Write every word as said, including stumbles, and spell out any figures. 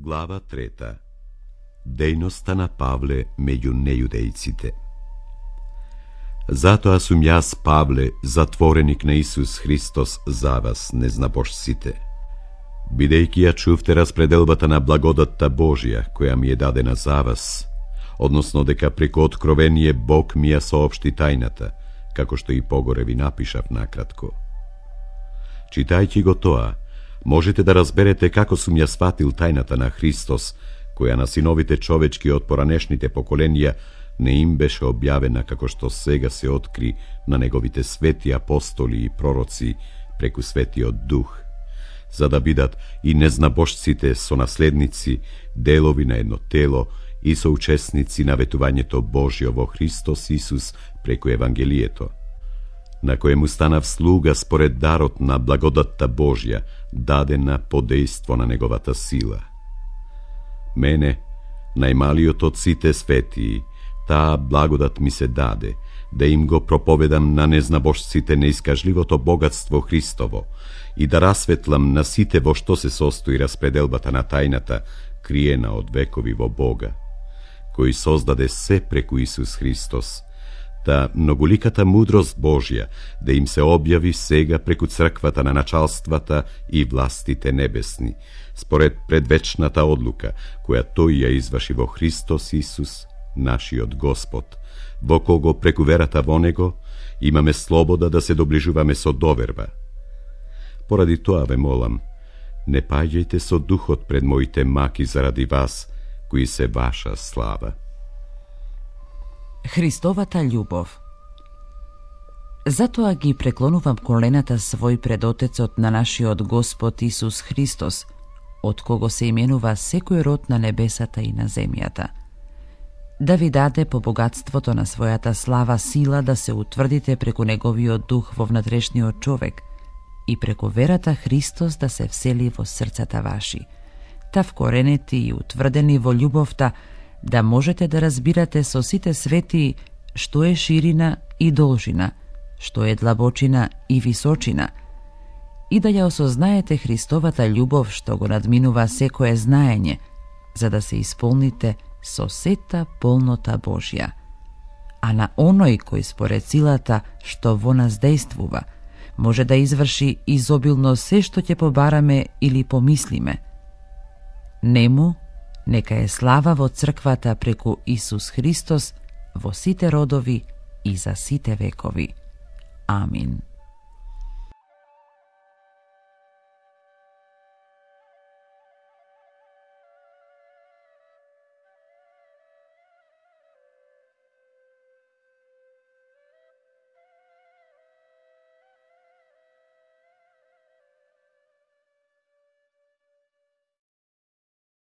Глава трета. Дејноста на Павле меѓу нејудејците. Затоа сум јас, Павле, затвореник на Исус Христос за вас, незнабожците. Бидејќи ја чувте распределбата на благодатта Божија, која ми е дадена за вас, односно дека преку откровение Бог ми ја соопшти тајната, како што и погоре ви напишав накратко. Читајќи го тоа, можете да разберете како сум ја сватил тајната на Христос, која на синовите човечки од поранешните поколенија не им беше објавена како што сега се откри на неговите свети апостоли и пророци преку Светиот Дух, за да бидат и незнабожците сонаследници, делови на едно тело и соучесници на ветувањето Божјо во Христос Исус преку Евангелието, на кое му станав слуга според дарот на благодатта Божја, дадена по дејство на неговата сила. Мене, најмалиот од сите светии, таа благодат ми се даде, да им го проповедам на незнабожците неискажливото богатство Христово и да расветлам на сите во што се состои распределбата на тајната, криена од векови во Бога, кој создаде се преку Исус Христос, та многоликата мудрост Божја да им се објави сега преку црквата на началствата и властите небесни, според предвечната одлука, која тој ја изврши во Христос Исус, нашиот Господ, во кого преку верата во Него имаме слобода да се доближуваме со доверба. Поради тоа ве молам, не паѓајте со духот пред моите маки заради вас, кои се ваша слава. Христовата љубов. Затоа ги преклонувам колената свој пред Отецот на нашиот Господ Исус Христос, од кого се именува секој род на небесата и на земјата, да ви даде по богатството на својата слава сила да се утврдите преку Неговиот дух во внатрешниот човек и преку верата Христос да се всели во срцата ваши, та вкоренети и утврдени во љубовта, да можете да разбирате со сите свети што е ширина и должина, што е длабочина и височина, и да ја осознаете Христовата љубов што го надминува секое знаење, за да се исполните со сета полнота Божја. А на оној кој според силата што во нас дејствува, може да изврши изобилно се што ќе побараме или помислиме. Нему нека е слава во црквата преку Исус Христос во сите родови и за сите векови. Амин.